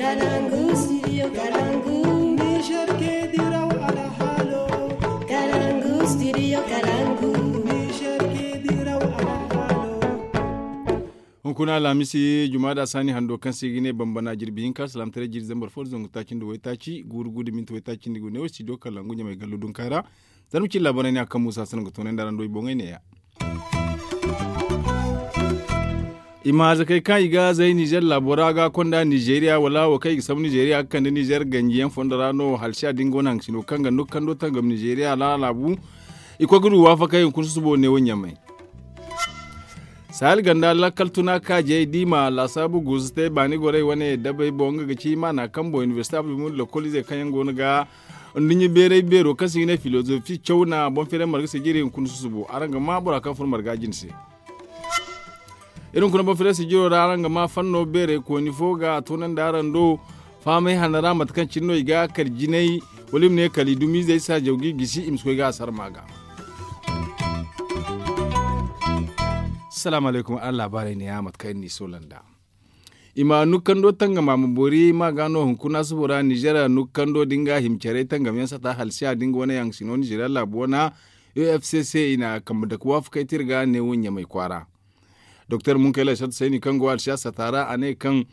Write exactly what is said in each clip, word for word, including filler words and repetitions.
Kalangu studio kalangu. Niger ke diraw alhalo. Kalangu studio kalangu. Niger ke diraw alhalo. Hunkuna alhamisi juma da sani hando kaŋ se ga ne bambana jirbi hinka salaamtaray jiri zambar fo da zangu taaci nda waytaaci guuru guuru da minti waytaaci nda gu ne wo studio kalangu ɲamay gallu dunka ra. Zarma cilla borey ne a kaŋ muusa sanaŋ ga toonay nda araŋ do i boŋey neeya. I ma hazakey kaŋ i ga zay nizer laabo ra ga konda nizeriya wala wo kaŋ i ga sambu nizeriya ga kande nizer ganjiyaŋ fondo ra no halsiya da nga wane haŋ sino kaŋ ga nukando tangam nizeriya ra laabu. I koy ga du waafakey hunkuna susubo ne wo ɲamay. Sahel ganda lakkal tuna kaajey da i ma laasaabu guusu te baani gorey wane dabey boŋ nga ga ci maana kaŋ boŋ inibersite abdulmumin lokoliizey kaŋ yaŋ go no ga nduɲɲa beeray beero kaŋ se i ga ne filozofi caw na boŋ feeray marga sijiri hunkuna susubo araŋ ga ma bora kaŋ furo marga jine se. Iri hunkuna boŋ feeray sijiro ra araŋ ga ma fanno beeray kooni fo ga a toonandi araŋ do fahamay hanno ra mate kaŋ cine no i ga kala jinay wala i ma ne kala i dumiizey saajaw ga i gisi i ma si koy ga a sarma ga. Salaamu alaykum araŋ laabaarey neeya mate kaŋ iri n'i soola nd'a. I ma nukkando tangama ma boori ma ga no hunkuna subo ra nizer nukkando da nga hima carey tangamyaŋ sata halsiya da nga wane yaŋ sino nizeriya laabu wana. Ofcc i na kambe dake waafakey te iri ga ne wo ɲamay kwaara. Doktor munkayla sata sayni kaŋ go alsiya sata ra a ne kaŋ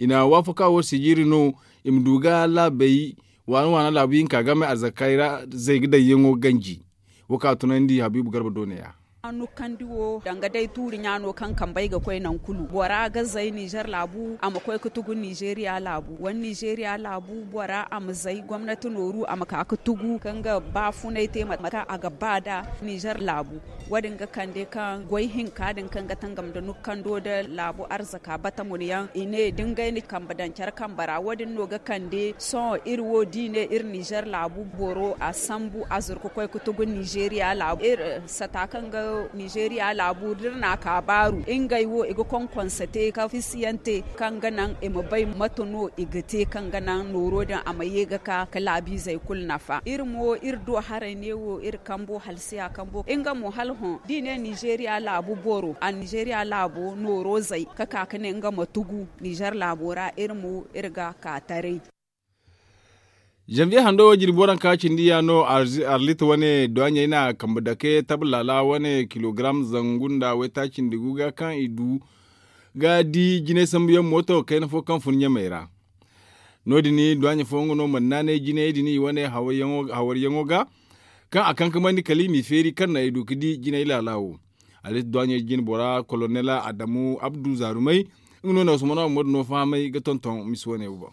i na waafaka wo sijiri no i ma du ga laabey waana waana laabu hinka game arzakey ra zay ga daŋ yaŋo ganji. Wo kaŋ a tunandi habiibu garba do neeya. Nukkandi wo danga day tuuri ɲaano kaŋ kambey ga koy naŋ kulu bora ga zay nizer laabu a ma koy ga tugu nizeriya laabu wala nizeriya laabu bora a ma zay gomnati nooru a ma ka ga tugu kaŋ ga baafunay te mate kaŋ a ga ba nd'a. Nizer laabu wo- din ga kande kaŋ goy hinka din kaŋ ga tangam nda nukkando nda laabu arzaka batamun yaŋ i ne da ngey na kambe daŋ care kambe ra wo- din no ga kande sohõ iri wo da i ne iri nizer laabu boro a sambu a zuru ga koy ga tugu nizeriya laabu iri sata kaŋ ga nizeriya laabu da iri n'a ka baaru ngey wo i ga konkonse te ka fisiyaŋ te kaŋ ga naŋ i ma bay mate no i ga te kaŋ ga naŋ nooro din a ma ye ga ka ga laabiizey kulu nafa iri mo iri do haray neewo iri kambo halsiya kambo nga mo hala hõ da i ne nizeriya laabu boro a nizeriya laabo nooro zay ga ka ga ne nga ma tugu nizer laabo ra iri mo iri ga ka taray. Zanviye hando wo jirbi waranka cindi ya no arlit wane duwaɲey na kambe dake tablaala wane kilogaram zangu nda waytaaci nda gu ga kaŋ i du ga di jinay sambuyaŋ mooto kayna fo kaŋ fun ɲamey ra. No- din duwaɲey fo nga no mana naanay jinay din i wane hawariyaŋo ga kaŋ a kaŋ ka mandi kala i m'i feeri kaŋ no ay du ga di jinay laala wo. Alhaji duwaɲey jine bora kolonel adamu abdu zaarumey nga no na usman ahmadu no fahamay ga tonton misi wane wo boŋ.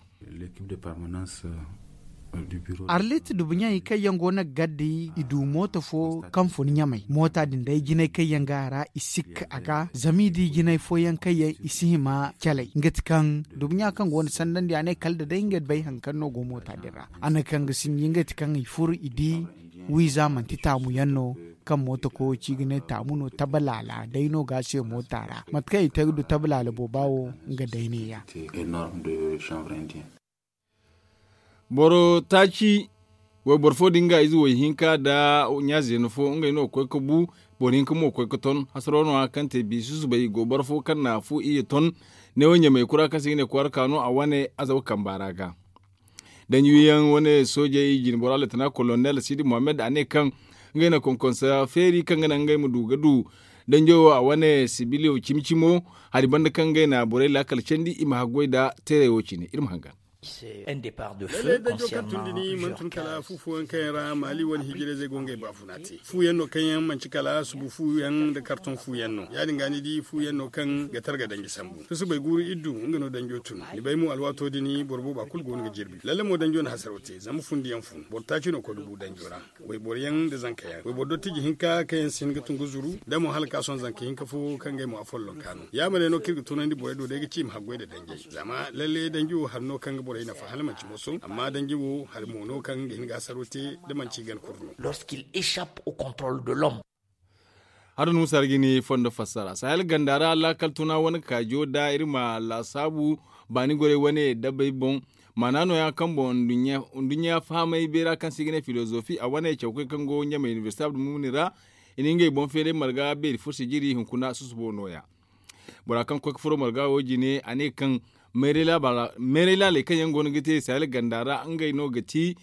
Arlit dubuɲey kaŋ yaŋ go no ga gaddi i du mooto fo kaŋ fun ɲamey moota din day jinay kaŋ yaŋ ga a ra i sikka a ga zama i di jinay fooyaŋ kaŋ yaŋ i si hima calay nga ti kaŋ dubuɲa kaŋ go no sandandi a ne kala da day nga bay hari kaŋ no go moota din ra a ne kaŋ ga sinji nga ti kaŋ i furo i di wiiza manti taamu yaŋ no kaŋ mooto koyo ci ga ne taamu no tabalaala day no ga a se moota ra mate kaŋ i te ga du tabalaala booba wo nga day ne- ya. Boro taaci wayboro fo din ga ize wayhinka nda ɲaazeena fo ngey no ga koy ga bu boro hinka mo ga koy ga ton hasaro no- ya kaŋ te bi susubay i go boro fo kaŋ na fu iyye ton neewo ɲamay kura kaŋ se i ga ne kwaara ka no a wane azawa kamba ra ga. Danji wiyaŋ wane soojey jinbora leetana kolonel sidi muhammad a ne kaŋ ngey na konkonsa feeri kaŋ ga naŋ ngey ma du ga du danjo wo a wane sibiliyo cimi cimo hari banda kaŋ ngey na borey laakal candi i ma haggoy nda teerey wo cine iri ma hangan. Lallay danjo kaŋ tun da ni mana tun kala fu fooyaŋ kaŋ yaŋ ra maali wane hijirayzey go ngey baafuna te fu yaŋ no kaŋ yaŋ manci kala subu fu yaŋ nda karton fu yaŋ no ya- din ga ni di fu yaŋ no kaŋ ga targa danji sambu susubay guuru iddu nga no danjo tun ni bay mo alwaato din boro booba kulu go no ga jirbi lalle mo danjo na hasaro te zama fundi yaŋ fun boro taaci no koy ga bu danjo ra. Wayboro yaŋ nda zanka yaŋ wayboro dottiji hinka kaŋ yaŋ si hin ga tun ga zuru da mo hala ka sohõ zanka hinka fo kaŋ ga ay mo afolloŋ ka no ya ma day no kaŋ iri ga tunandi borey do day ga ci i ma haggoy nda danjey zama lalle danji wo hari no kaŋ ga borey nafa hala manci moso amma danji wo hari mo no kaŋ ga hin ga hasaro te da manci i gana kuru no. Lorsqu'il échappe au contrôle de l'homme. Haruna musa ra ga ni fondo fassara sahel ganda ra laakal tuna wane kaajo da iri ma laasaabu baani gorey wane dabey boŋ. Maana nooya kaŋ boŋ nduɲɲa fahamay beera kaŋ se i ga ne filozofi a wane cawkey kaŋ go ɲamay inibersite abdulmumuni ra i na ngey boŋ feeray marga beeri fursi jiri hunkuna susubo nooya. Bora kaŋ koy ga furo marga wo jine a ne kaŋ Meeray laaley kaŋ yaŋ go no ga te sahel ganda ra ngey no ga ti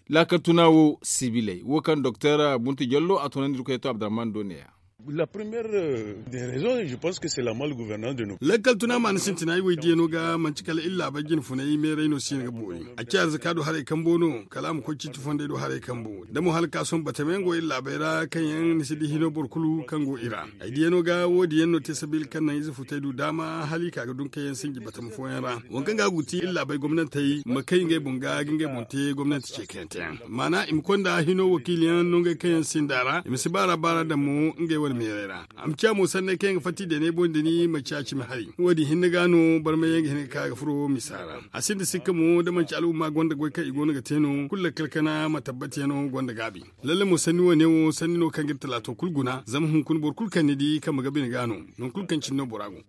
laakal tuna wo sibiley wo kaŋ doktor buntu jallo a tunandi irkoy to abdurahman do ne ya. Lakkal tuna ma ni sintina ay wo ay diya no ga manti kala iri laabey jine funay meeray no si no ga boori. A ci arzaka du haray kambo no kala a ma koy ciiti fondey du haray kambo da mo hala ka sohõ batama yaŋ go iri laabey ra kaŋ yaŋ ni si di hino boro kulu kaŋ go i ra. Ay diya no ga wo- din yaŋ no te sabiila kaŋ naŋ ize futey du daama hala i ka ga dun kaŋ yaŋ sinji batama fooyaŋ ra. Waŋ kaŋ ga a go ga ti iri laabey gomnantey ma kay ngey boŋ ga ga ngey boŋ te gomnanti ce kaŋ yaŋ te yaŋ maana i ma konda hino wakiili yaŋ no ngey kaŋ yaŋ sinda ra i ma si baara baara daŋ mo ngey wane meeray ra. A ma ciya mo sanney kaŋ yaŋ ga fatta i deeney boŋ da ni ma ciya cimi hari wo- din hinne ga no barmay yaŋ ga hin ga ka ga furo misa ra. A sinda sikka mo da manci al'umma gonda goy kaŋ i go no ga te no kulu lakkal kana ma tabbati yaŋo gonda gaabi. Lalle mo sanni wo- ne wo sanni no kaŋ ga iri talaato kulu guna zama hunkuna boro kulu kaŋ ni di kambe ga bine ga no. Nangu kulu kaŋ cine no bora go.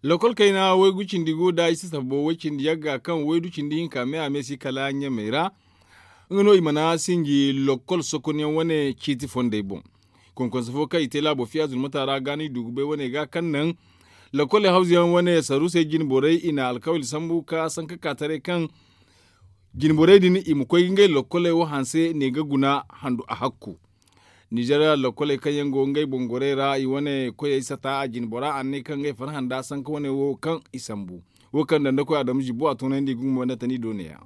Lokol kayna waygu cindi go da i si sabo way cindi yagga kaŋ waydu cindi hinka me a me si kala ɲamey ra. Nga no i mana sinji lokol sokonyaŋ wane ciiti fondey boŋ. Konkonse fo kaŋ i te laabo fiya zulmata ra ga no i du ga bay wane ga kaŋ naŋ lokol hawzuyaŋ wane saruusey jinborey i na alkawali sambu ka sanka ka taray kaŋ jinborey din i ma koy ga ngey lokoley wo hanse ne ga guna handu a hakku. Nizeeriya lokoley kaŋ yaŋ go ngey boŋ gorey ra i wane koyey sata a jinbora a ne kaŋ ngey farhã nda sanka wane wo kaŋ i sambu. Wo kaŋ dandakoy adamu zibbo a toonandi i ga humbay nda tani do ne ya.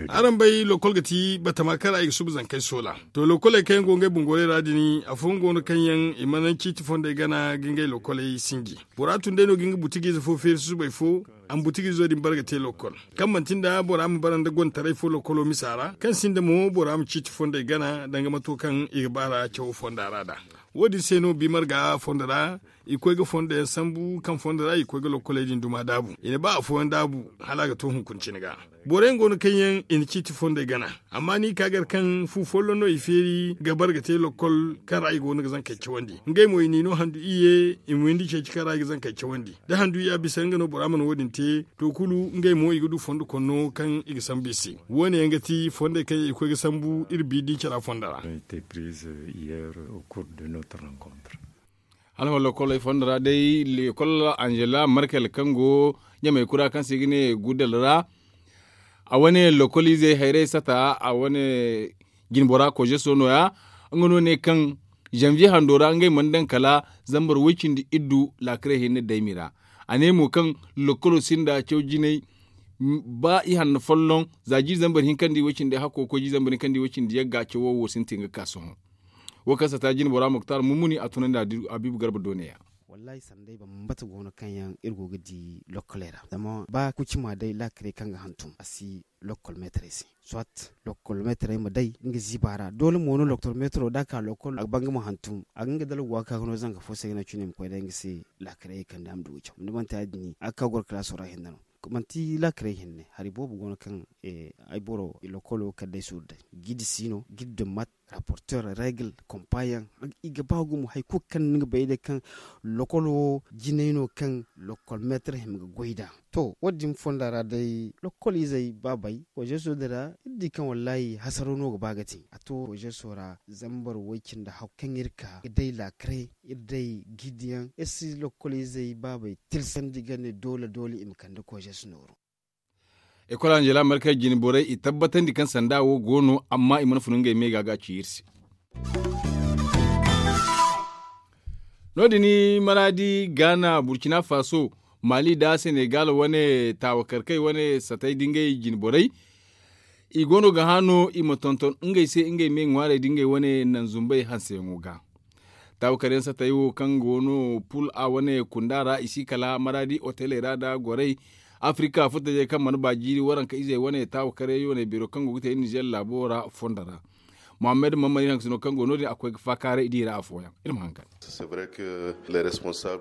Araŋ bay lokol ga ti batama kaŋ ra i ga suba zankey soola. To lokoley kaŋ yaŋ go ngey boŋ gorey ra din afooyaŋ go no kaŋ yaŋ i mana ciiti fondey gana ga ngey lokoley sinji. Bora tun day no ga nga butigiize fo feeri susubay fo. A ma butigiizo din bare ga te lokol kaŋ manti nda bora ma bare nda gontaray fo lokolo misa ra kaŋ sinda mo bora ma ciiti fondey gana danga mato kaŋ i ga baara cawo fonda ra nd'a. Wo- din se no bi marga fondo ra i koy ga fondo yaŋ sambu kaŋ fondo ra i koy ga lokoley din duma daabu i na ba afooyaŋ daabu hala a ga to hunkuna cine ga. Boro yaŋ go no kaŋ yaŋ i na ciiti fondey gana. Amma ni ka gar kaŋ fu folloŋ no i feeri ga bare ga te lokol kaŋ ra i go no ga zankey cawandi ngey mo i n'i no handu iyye i ma windi ceeci kaŋ ra i ga zankey cawandi. Da handu iyya bisa nga no bora mana wo- din te to kulu ngey mo i ga du fondo konno kaŋ i ga sambu i se. Wo- ne yaŋ ga ti fondey kaŋ yaŋ i koy ga sambu iri bi di cara fondo ra. Hala wala koley fondo ra day lekol anzela markel kaŋ go ɲamey kura kaŋ se i ga ne gudal ra. A wane lokol izey hayrey sata a wane jinbora kozeso no- ya. Nga no ne kaŋ zanviye hando ra ngey mana daŋ kala zambar woy cindi iddu laakarey hinne daymi ra. A ne mo kaŋ lokolo sinda caw jinay ba i hanno folloŋ za jiiri zambar hinkandi woy cindi hakko koy jiiri zambar hinkandi woy cindi yagga cawo wo sintin ga ka sohõ. Wo kaŋ sata jinbora muktar mumuni a tunandi abibu garba do ne- ya. Wallahi sanday bambata go no kaŋ yaŋ iri go ga di lokkoley ra zama ba kucima day laakarey kaŋ ga hantum a si lokkol meetarey se. Soit lokkol meetarey ma day nga ziiba ra doole mo no lokkol meetaro da a ka lokkol a ga ba nga ma hantum a ga nga dalgu a ga ka ga no zanga fo se ga naŋ cine i ma koy day nga se. Laakarey kande a ma du ga caw ni manti ya- din a ga ka goro kalaaso ra hinne no. Manti laakarey hinne hari boobo go no kaŋ ay boro lokkolo kala day suuru day. Gidi si no gidi dummat raporter regle kompa yaŋ. I ga ba gumo hari kulu kaŋ ni ga bay day kaŋ lokol wo jinay no kaŋ lokol meetar hima ga goy nd'a. To wo- din fonda ra day lokol izey baabey kozeso din ra iri di kaŋ wallahi hasaro no ga ba ga te a to kozeso ra zambar woy cindi hakku kaŋ iri ka ga day laakare iri day gidi yaŋ iri si lokol izey baabey tirsandi ga ne doole doole i ma kande kozeso nooru. Ekol anzela markey jine borey i tabbatandi kaŋ sanda wo go no amma i mana funu ngey me ga ga ci iri se. No- din maraadi gaana burkina faso, mali nda senegal wane taawakarkey wane satey nda ngey jine borey. I go no ga hã no i ma tonton ngey se ngey me ŋwaarey nda ngey wane naŋ zumbey hanseyaŋo ga. Taawakaryaŋ satey wo kaŋ go no pul a wane kunda ra i si kala maraadi oteley ra nda gorey. Afrika furtajey kaŋ mana ba jiiri waranka izey wane taawakaryaŋ yooney beero kaŋ go ga te nizer laabo ra fondo ra. Mohammed mammani hangasino kaŋ go no- din a koy ga faakaaray da i ra afooyaŋ. Iri ma haŋ kande.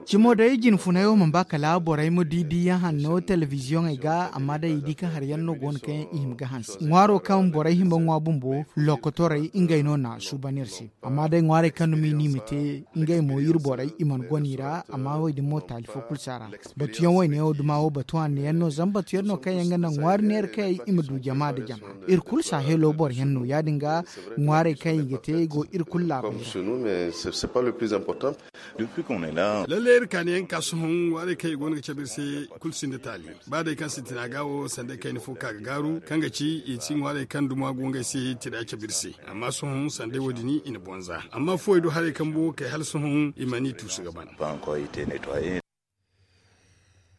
Cimo day jinfunay wo mana ba kala borey ma di diiyaŋ hanno telebiziyoŋey ga amma day i di kaŋ hari yaŋ no go no kaŋ yaŋ i hima ga hanse ŋwaaro kaŋ borey hima ŋwa bumbo lokotorey ngey no na suuban iri se. Amma day ŋwaarey kaŋ dumi no i ma te ngey mo iri borey i mana gona i ra. Amma wo- din mo taali fo kulu si a ra. Batuyaŋ wayne wo duma wo batu hanno yaŋ no zama batu yaŋ no kaŋ yaŋ ga naŋ ŋwaari neera kaŋ yaŋ i ma du jama nda jama. Iri kulu saaheelo boro yaŋ no ya- din ga ŋwaarey kaŋ i ga te go iri kulu laabey ra. Lalle iri kaani yaŋ ga ka sohõ ŋwaarey kaŋ i go no ga cabe iri se kulu sinda taali. Ba day kaŋ sintina ga wo sanda kayna fo ka ga gaaru kaŋ ga ci i si ŋwaarey kaŋ duma go ngey se tira cabe iri se. Amma sohõ sanday wo- din i na bonza amma fuwey do haray kaŋ bo kay hala sohõ i mana i tuusu ga ban.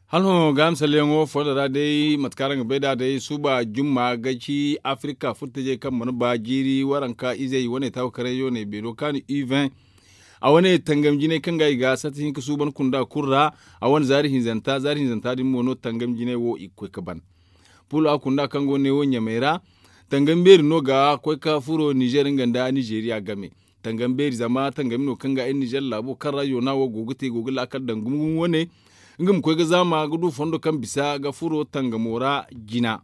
Hala hõ gaaham salleyaŋo fondo ra day mate kaŋ araŋ ga bay nd'a day suuba jumma ga ci afirika furtajey kaŋ mana ba jiiri waranka izey wane taawukarayzo ne beero kaanu uvin. A wane tangam jinay kaŋ ga i ga sati hinka suuban kunda kulu ra. A wane zaari hinzanta zaari hinzanta din mo no tangam jinay wo i ga koy ga ban. Pul a kunda kaŋ go ne wo ɲamey ra. Tangam beeri no ga koy ga furo nizer nga nda nizeriya game. Tangam beeri zama tangami no kaŋ ga ay nizer laabo kaŋ ra yoona wo go ga te go ga laakal daŋ gumo gumo wane. Nga ma koy ga zaama ga du fondo kaŋ bisa ga furo tangamo ra jina.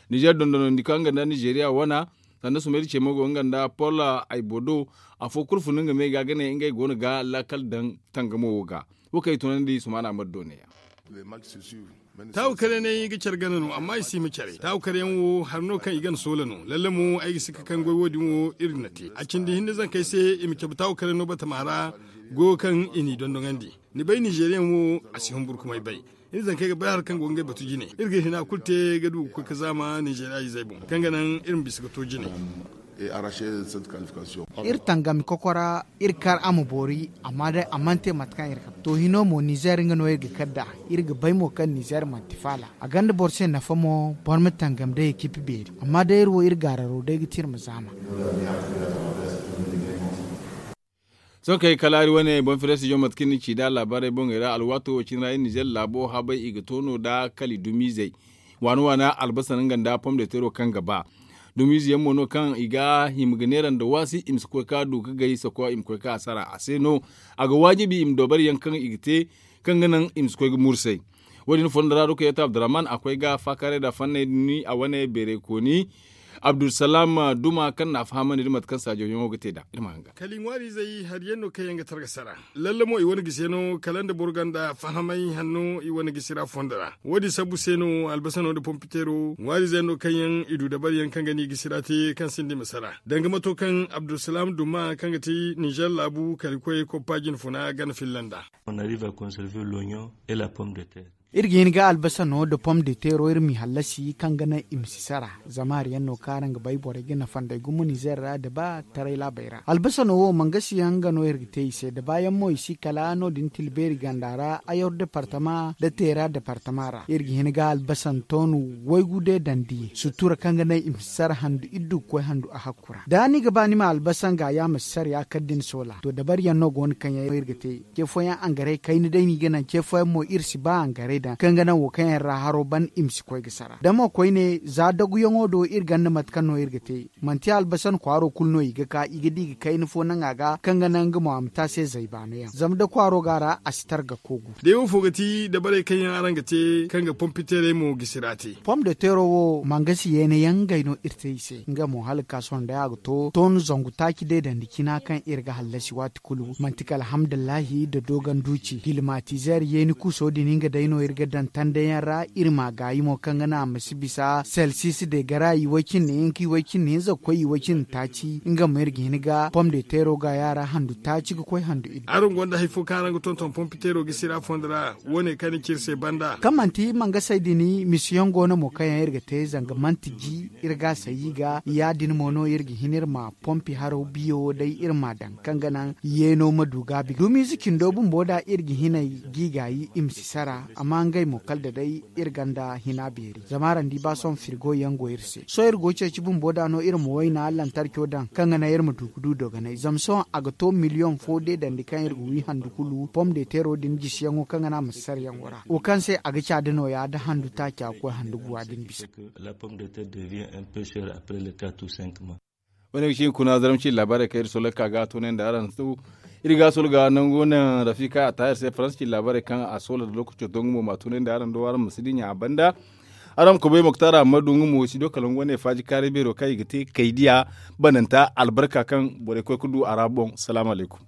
Nizer dondonandi kaŋ nga nda nizeriya wana sanda sumayri ce mo go nga nda pol aybodo. Afo kulu fun nga me ga ga ne ngey go no ga laakal daŋ tangamo wo ga. Wo kaŋ i tunandi sumaana ma do ne ya. Taawu kare ne i ga care gana no amma i si ma care taawu kare yaŋ wo hari no kaŋ i gana soola no lalle mo ay ga si ga kaŋ goy wo- din wo iri na te a cindi hinne zankey se i ma cabe taawu kare no batama ra. Goyo kaŋ i n'i dondoŋandi ni bay nizeriyaŋ wo a si humburu kumay bay. Iri zankey ga bay hari kaŋ go ga ngey batu jine iri ga hina kulu te ga du ga koy ga zaama nizeriya izey boŋ kaŋ ga naŋ iri ma bisa ga to jine. Iri tangami kokora iri kar a ma boori amma day a mana te mate kaŋ iri ga bay to hino mo nizer nga no iri ga kar nd'a. Iri ga bay mo kaŋ nizer manti faala a gonda boro se nafa mo boro ma tangam day ekipi beeri amma day iri wo iri gaararo day ga ti iri ma zaama. Sohõ kay kalaari wane boŋ firestijo mate kaŋ ni ci nd'a laabaarey boŋey ra alwaato wo cine ra iri nizer laabo habay i ga to no nd'a kala i dumiizey. Waana waana albasa no nga nda pom de teero kaŋ ga ba dumiize yaŋ mo no kaŋ i ga hima ga neera nda waasi i ma si koy ga du ga gay soko i ma koy ga hasara a se no. A ga waajibi i ma doobari yaŋ kaŋ i ga te kaŋ ga naŋ i ma si koy ga mursay. Wo- din fondo ra dukayeta abdurrahman a koy ga faakaaray nda fanney din a wane beeray kooni. Abdulsalam duma kaŋ na a fahamandi nda mate kaŋ saajo yaŋo ga te nd'a iri ma hanga. Kala i ŋwaari izey hari yaŋ no kaŋ yaŋ ga targa sara. Lalle mo i wane gisi yaŋo kala nda boro gonda fahamay hanno i wane gisi ra fondo ra. Wo- din sabbu se no albasano nda pompiteero ŋwaari izey no kaŋ yaŋ i du dabari yaŋ kaŋ ga ni gisi ra te kaŋ sinda i ma sara danga mato kaŋ abdulsalam duma kaŋ ga ti nizer laabu kala i koy koppa jinfuna gana filla nd'a. Iri ga hin ga albasa no nda pom de teero iri m'i hallasi kaŋ ga naŋ i ma si sara. Zama hari yaŋ no kaŋ araŋ ga bay borey ga nafa nd'ey gumo nizer ra nda ba taray laabey ra albasa no wo mangasi yaŋ nga no iri ga te i se nda ba yaŋ mo i si kala no- din tilbeeri ganda ra ayor departama nda teera departama ra iri ga hin ga albasa ntoonu waygu deedandi sutura kaŋ ga naŋ i ma si sara handu iri du ga koy handu a hakku ra da ni ga ba ni ma albasa nga ya ma si sara ya kala da ni soola to dabari yaŋ no go no kaŋ yaŋ iri ga te. Ce fooyaŋ angaray kayna day no i ga naŋ ce fooyaŋ mo iri si ba angaray daŋ kaŋ ga naŋ wo kaŋ yaŋ ra haro ban i ma si koy ga sara da mo koyne za daguyaŋo do iri ganda mate kaŋ no iri ga te. Manti albasan kwaaro kulu no i ga ka i ga di ga kayna fo naŋ a ga kaŋ ga naŋ nga mo a ma te a se zay baano yaŋ zama da kwaaro go a ra a si targa koogu. Day wo fo ga ti dabarey kaŋ yaŋ araŋ ga te kaŋ ga pompiteerey mo gisi ra te. Pom de teero wo mangasi yeene yaŋ ngey no iri te i se nga mo hala ga ka sohõ day a ga to toonu zangu taaci deedandi cina kaŋ iri ga hallasi waati kulu manti kala alhamdulillahi nda dooganduuci kilimatizeer yeeni kuuso din nga day no iri ga daŋ tanda yaŋ ra. Iri ma gaayi mo kaŋ ga naŋ a ma si bisa selsis de gara i way cindi hinka i way cindi hinza ga koy i way cindi taaci nga mo iri ga hin ga pom de teero gaaya ra handu taaci ga koy handu iddu. Araŋ gonda hari fo kaŋ araŋ ga tonton pompiteero gisi ra fondo ra? Wo- ne kaŋ ni ci iri se banda kaŋ manti mangasey din misiyaŋ go no mo kaŋ yaŋ iri ga te zanga manti ji iri ga a sayi ga ya- din mo no iri ga hin iri ma pompi haro biyo day iri m'a daŋ kaŋ ga naŋ yeeno ma du gaabi dumiize cindo bumbo da iri ga hinay g'i gaayi i ma si sara amma ngey mo kala da day iri gonda hina beeri zama araŋ di ba sohõ firgo yaŋ go iri se sohõ iri go ceeci bumbo da no iri ma wayna lantarco daŋ kaŋ ga naŋ iri ma du ga du dogonay zama sohõ a ga to miliyoŋ fo deedandi kaŋ iri ga wi handu kulu pom de teero din jisiyaŋo kaŋ ga naŋ a ma si sara yaŋo ra wo kaŋ se a ga caada nooya da handu taaca ga koy handu guwa din bisa. Wane ga ci hunkuna zaramci laabaarey kaŋ iri soolay ka ga a toonay nda araŋ se. Iri ga a solo ga nangu naŋ rafika a taahir se faransa ci laabaarey kaŋ a soola nda lookaco to nga mo m'a tunandi araŋ do araŋ ma si dinya a banda. Araŋ ma koobay moktaara amma du nga mo si do kala nga wane faaji kaaray beero kaŋ i ga te kaydiya bananta albarka kaŋ borey koy ga du a ra boŋ salaamu alaykum.